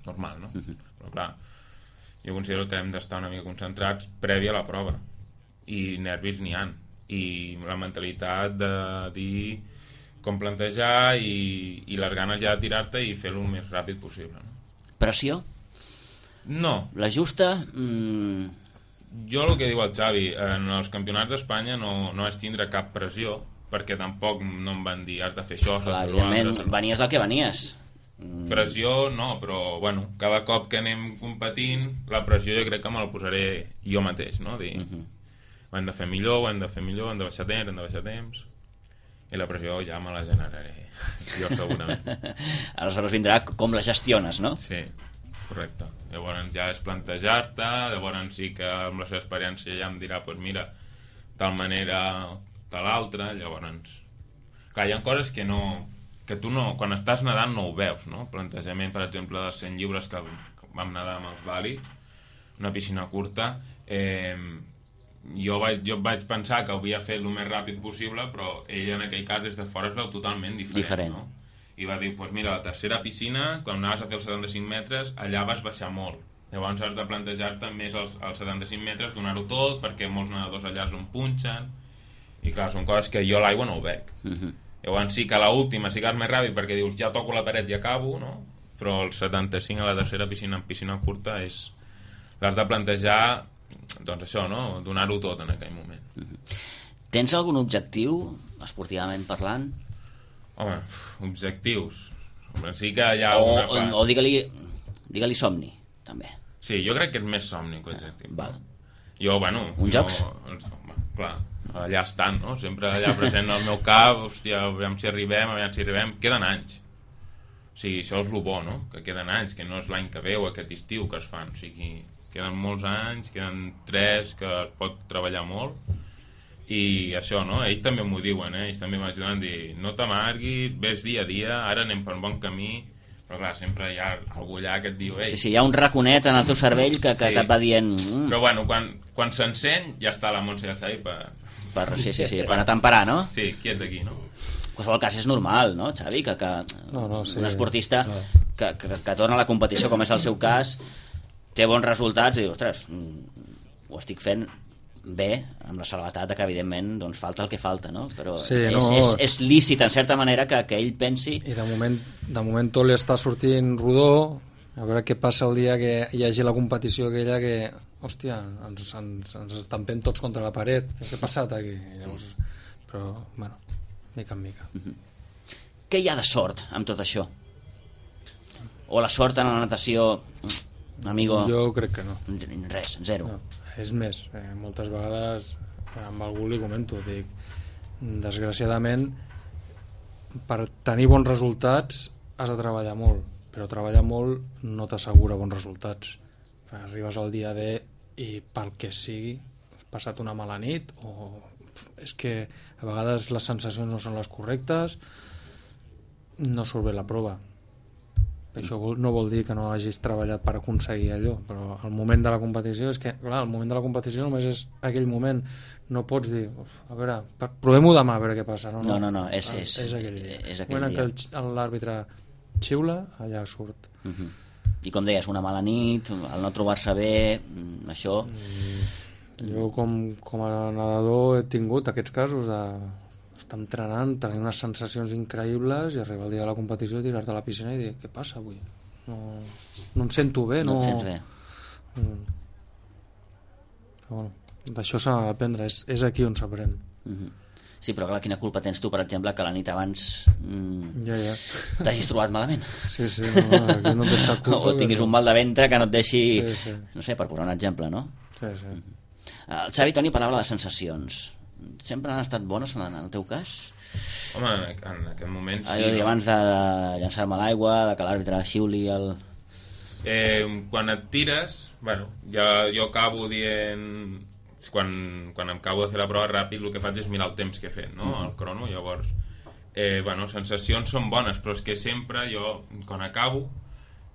normal, no? Uh-huh. Però clar, jo considero que hem d'estar una mica concentrats prèvia a la prova i nervis n'hi ha, i la mentalitat de dir com plantejar i, i les ganes ja de tirar-te i fer-ho el més ràpid possible, no? Pressió? No. La justa? Mm... Jo el que diu el Xavi, en els campionats d'Espanya no, no és tindre cap pressió, perquè tampoc no em van dir has de fer això, clar, evidentment, venies del que venies. Mm. Pressió no, però bueno, cada cop que anem competint la pressió jo crec que me la posaré jo mateix, no? Dir, uh-huh. ho hem de fer millor, ho hem de fer millor, hem de baixar temps, hem de baixar temps, i la pressió ja me la generaré jo segurament. Aleshores vindrà com la gestiones, no? Sí, correcte. Llavors ja és plantejar-te, llavors sí que amb la seva experiència ja em dirà pues mira, tal manera tal altra, llavors clar, hi ha coses que no que tu no, quan estàs nedant no ho veus, no? Plantejament, per exemple, de cent lliures que vam nedar amb els Bali, una piscina curta, eh, jo vaig, jo vaig pensar que ho havia fet el més ràpid possible, però ell en aquell cas des de fora es veu totalment diferent, diferent. No? I va dir, doncs pues mira, la tercera piscina, quan anaves a fer els setanta-cinc metres, allà vas baixar molt. Llavors has de plantejar-te més els, els setanta-cinc metres, donar-ho tot, perquè molts nedadors allà s'ho punxen, i clar, són coses que jo a l'aigua no ho veig. Uh-huh. Llavors sí que a l'última sí que és més ràpid, perquè dius, ja toco la paret i acabo, no? Però el setanta-cinc a la tercera piscina, en piscina curta, és... l'has de plantejar... doncs això, no? Donar-ho tot en aquell moment. Mm-hmm. Tens algun objectiu, esportivament parlant? Home, objectius... Home, sí que hi ha o, una part... O digue-li digue-li somni, també. Sí, jo crec que és més somni que objectiu. Ah, val. Jo, bueno... Un jo, jocs? Home, clar, allà estan, no? Sempre allà present al meu cap, hòstia, aviam si arribem, aviam si arribem... Queden anys. O sigui, això és el bo, no? Que queden anys, que no és l'any que ve o aquest estiu que es fan, o sigui... queden molts anys, queden tres que es pot treballar molt i això, no? Ells també m'ho diuen, eh? Ells també m'ajuden a dir no t'amarguis, ves dia a dia, ara anem per un bon camí, però clar, sempre hi ha algú allà que et diu ei. Sí, sí, hi ha un raconet en el teu cervell que, que, sí. que et va dient mm. Però bueno, quan, quan s'encén ja està la Montse i el Xavi per... per sí, sí, sí, per atemperar, no? Sí, quiet d'aquí, no? En qualsevol cas és normal, no, Xavi? Que, que no, no, sí, un esportista no. que, que, que torna a la competició, com és el seu cas, té bons resultats i diu, ostres, ho estic fent bé, amb la salvetat que evidentment doncs, falta el que falta, no? Però sí, és, no, és, és lícit en certa manera que, que ell pensi... I de moment, de moment tot li està sortint rodó, a veure què passa el dia que hi hagi la competició aquella que, hòstia, ens, ens, ens estampem tots contra la paret, què ha passat aquí? Llavors, però, bueno, mica en mica. Uh-huh. Què hi ha de sort amb tot això? O la sort en la natació... Amigo, jo crec que no. Res, zero. No, és més, eh, moltes vegades amb algú li comento, dic, desgraciadament per tenir bons resultats has de treballar molt, però treballar molt no t'assegura bons resultats. Arribes al dia D i pel que sigui has passat una mala nit o és que a vegades les sensacions no són les correctes, no surt bé la prova. Això no vol dir que no hagis treballat per aconseguir allò, però el moment de la competició és que, clar, el moment de la competició només és aquell moment, no pots dir a veure, provem-ho demà a veure què passa, no, no, no, no és, és, és aquell dia, és aquell el moment dia. En què l'àrbitre xiula, allà surt. Uh-huh. I com deies, una mala nit, el no trobar-se bé, això... Mm, jo com, com a nedador he tingut aquests casos de estar entrenant, tenir unes sensacions increïbles i arribar al dia de la competició, tirar-te a la piscina i dir, què passa avui? No, no em sento bé, no... No et sents bé. Mm. Però bueno, d'això s'ha d'aprendre, és, és aquí on s'aprèn. Mm-hmm. Sí, però clar, quina culpa tens tu, per exemple, que la nit abans mm, ja, ja. t'hagis trobat malament? Sí, sí, no, aquí no tens cap culpa. O tinguis un mal de ventre que no et deixi... Sí, sí. No sé, per posar un exemple, no? Sí, sí. Mm-hmm. El Xavi Toni parlava de sensacions. Sempre han estat bones en el teu cas? Home, en aquest moment sí. Allò, no? Abans de llançar-me a l'aigua, de que l'àrbitre xiuli el... Eh, quan et tires, bueno, ja, jo acabo dient... Quan, quan em acabo de fer la prova ràpid, el que faig és mirar el temps que he fet, no? El crono, llavors... Eh, bueno, sensacions són bones, però és que sempre jo, quan acabo,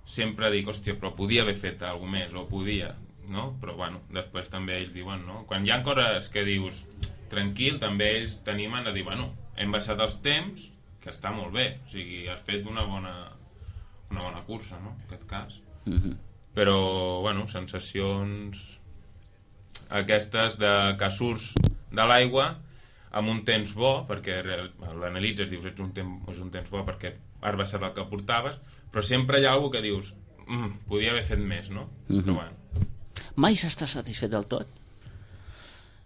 sempre dic, hòstia, però podia haver fet alguna més, o podia, no? Però, bueno, després també ells diuen, no? Quan hi ha coses que dius tranquil, també ells t'animen a dir, bueno, hem baixat els temps, que està molt bé, o sigui, has fet una bona, una bona cursa, no?, en aquest cas. Mm-hmm. Però, bueno, sensacions aquestes de que surts de l'aigua amb un temps bo, perquè l'analitzes, dius, ets un temps, és un temps bo perquè has baixat el que portaves, però sempre hi ha algú que dius, mm, podia haver fet més, no? Mm-hmm. Però bueno. Mai s'està satisfet del tot?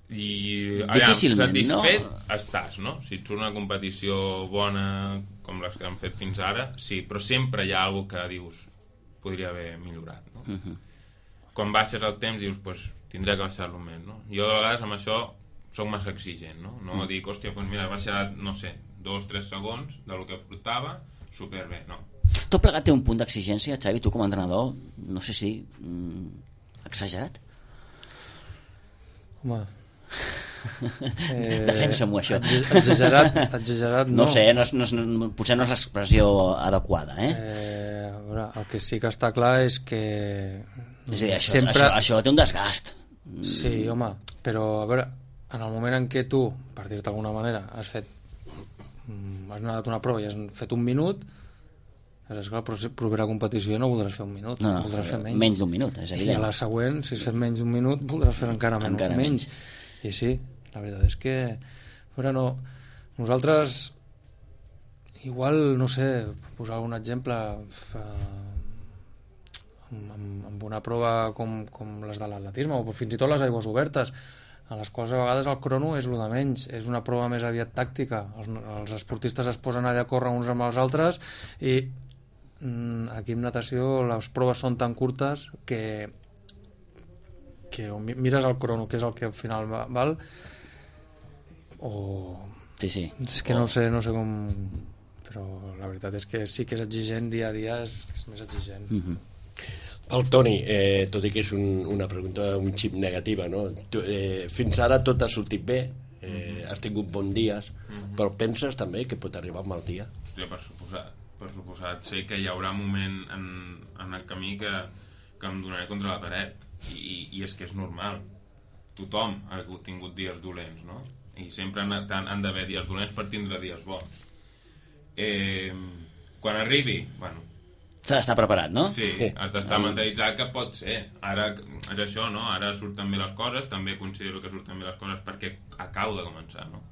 I, difícilment, allà, satisfet no? estàs, no? Si ets una competició bona com les que hem fet fins ara, sí, però sempre hi ha algú que dius, podria haver millorat, no? Mm-hmm. Quan baixes el temps dius, pues, tindré que baixar-lo més, no? Jo de vegades amb això soc massa exigent, no? No mm. dic, hòstia, doncs mira, he baixat, no sé, dos, tres segons del que portava, superbé, no. Tot plegat té un punt d'exigència, Xavi, tu com a entrenador, no sé si mm, exagerat? Home... Eh, defensa-m'ho, això. Exagerat, exagerat no. No sé, no és, no és, potser no és l'expressió adequada, eh? eh a veure, el que sí que està clar és que... És a dir, això, sempre... això, això té un desgast. Sí, home, però a veure, en el moment en què tu, per dir-te d'alguna manera, has fet has anat una prova i has fet un minut, és clar, la propera competició no voldràs fer un minut, no, no, voldràs fer menys. Menys d'un minut, és evident. I a la següent, si has fet menys d'un minut, voldràs fer encara, encara menys. menys. I sí, la veritat és que però no, nosaltres igual, no sé, posar un exemple eh, amb, amb una prova com, com les de l'atletisme o fins i tot les aigües obertes, a les quals a vegades el crono és el de menys, és una prova més aviat tàctica, els, els esportistes es posen allà a córrer uns amb els altres i mm, aquí en natació les proves són tan curtes que que o mires el crono, que és el que al final val, o... Sí, sí. És que no sé, no sé com... Però la veritat és que sí que és exigent dia a dia, és, és més exigent. Mm-hmm. El Toni, eh, tot i que és un, una pregunta un xip negativa, no? Tu, eh, fins ara tot ha sortit bé, eh, mm-hmm. has tingut bons dies, mm-hmm. però penses també que pot arribar un mal dia? Hòstia, per suposat, per suposat. Sé que hi haurà un moment en, en el camí que, que em donaré contra la paret, i, i és que és normal. Tothom ha tingut dies dolents, no? I sempre han, han d'haver dies dolents per tindre dies bons. Eh, quan arribi, bueno, s'ha d'estar preparat, no? Sí, has d'estar mentalitzat que pot ser. Ara és això, no? Ara surten bé les coses, també considero que surten bé les coses perquè acabo de començar, no?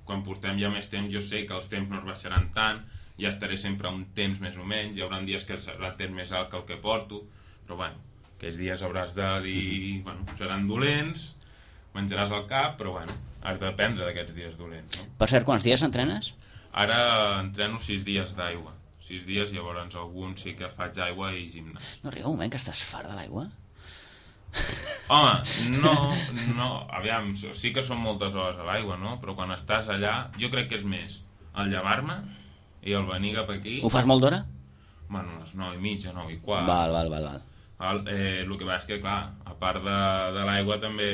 Quan portem ja més temps, jo sé que els temps no es baixaran tant, ja estaré sempre a un temps més o menys, hi haurà dies que serà el temps més alt que el que porto, però bueno, aquells dies hauràs de dir, bueno, seran dolents, menjaràs al cap, però bueno, has d'aprendre d'aquests dies dolents, no? Per cert, quants dies entrenes? Ara entreno sis dies d'aigua. Sis dies, llavors alguns sí que faig aigua i gimnàs. No arriba un moment que estàs fart de l'aigua? Home, no, no, aviam, sí que són moltes hores a l'aigua, no? Però quan estàs allà, jo crec que és més el llevar-me i el venir cap aquí... Ho fas molt d'hora? Bueno, a les nou i mitja, nou i quart. Val, val, val, val. El, eh, el que va és que, clar, a part de, de l'aigua també,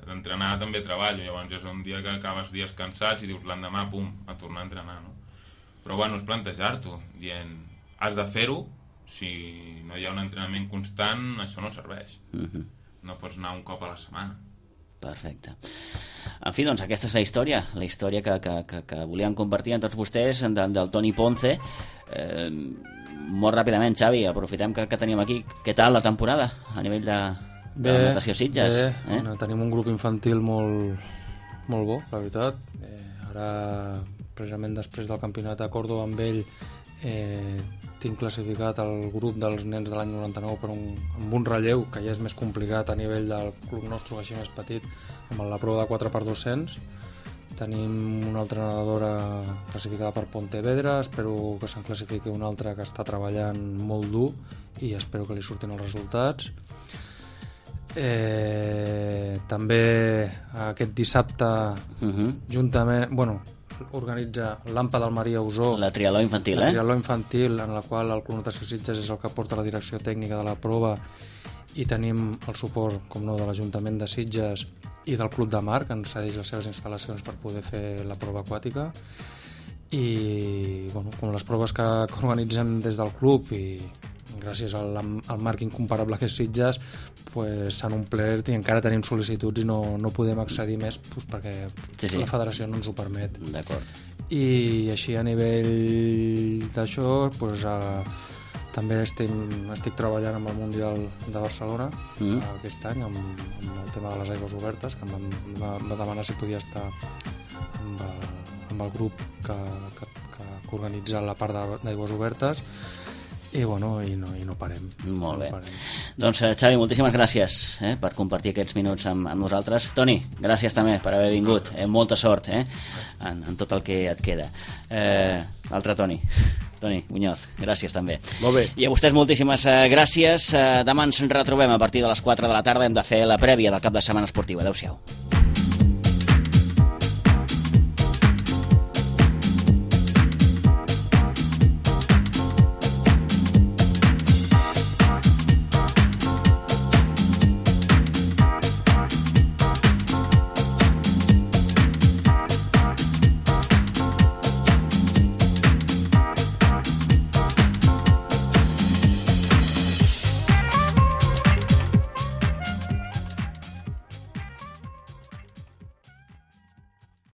d'entrenar també treballo, llavors és un dia que acabes dies cansats i dius l'endemà, pum, a tornar a entrenar, no? Però bueno, és plantejar-t'ho, dient, has de fer-ho, si no hi ha un entrenament constant, això no serveix. Mm-hmm. No pots anar un cop a la setmana. Perfecte. En fi, doncs aquesta és la història, la història que, que, que, que volíem compartir amb tots vostès, del, del Toni Ponce. Eh, molt ràpidament, Xavi, aprofitem que, que tenim aquí. Què tal la temporada a nivell de, de bé, natació Sitges? Bé, eh? Tenim un grup infantil molt, molt bo, la veritat. Eh, ara, precisament després del campionat a Còrdova amb ell, eh, tinc classificat el grup dels nens de l'any noranta-nou per un, amb un relleu que ja és més complicat a nivell del club nostre, així més petit, amb la prova de quatre per dos-cents. Tenim una altra nedadora classificada per Pontevedra, espero que se'n classifiqui una altra que està treballant molt dur i espero que li surtin els resultats. Eh, també aquest dissabte, uh-huh. juntament, bueno, organitza l'Ampa del Maria Usó, la triatló infantil, la eh? triatló infantil, en la qual el Club Natació Sitges és el que porta la direcció tècnica de la prova, i tenim el suport, com no, de l'Ajuntament de Sitges i del Club de Mar, que ens cedeix les seves instal·lacions per poder fer la prova aquàtica. I bueno, com les proves que, que organitzem des del club i gràcies al, al marc incomparable que és Sitges, pues, s'han omplert i encara tenim sol·licituds i no, no podem accedir més, pues, perquè sí, sí. la federació no ens ho permet. D'acord. I així a nivell d'això, pues, a, també estic, estic treballant amb el Mundial de Barcelona mm. aquest any, amb, amb el tema de les aigües obertes, que em va, va demanar si podia estar amb el, amb el grup que, que, que, que organitza la part d'aigües obertes. I, bueno, i, no, i no parem. Molt bé. No parem. Doncs, Xavi, moltíssimes gràcies eh, per compartir aquests minuts amb, amb nosaltres. Toni, gràcies també per haver vingut. Eh, molta sort eh, en, en tot el que et queda. Eh, Altre Toni. Toni Muñoz, gràcies també. Molt bé. I a vostès moltíssimes eh, gràcies. Eh, demà ens retrobem a partir de les quatre de la tarda. Hem de fer la prèvia del cap de setmana esportiu. Adéu-siau.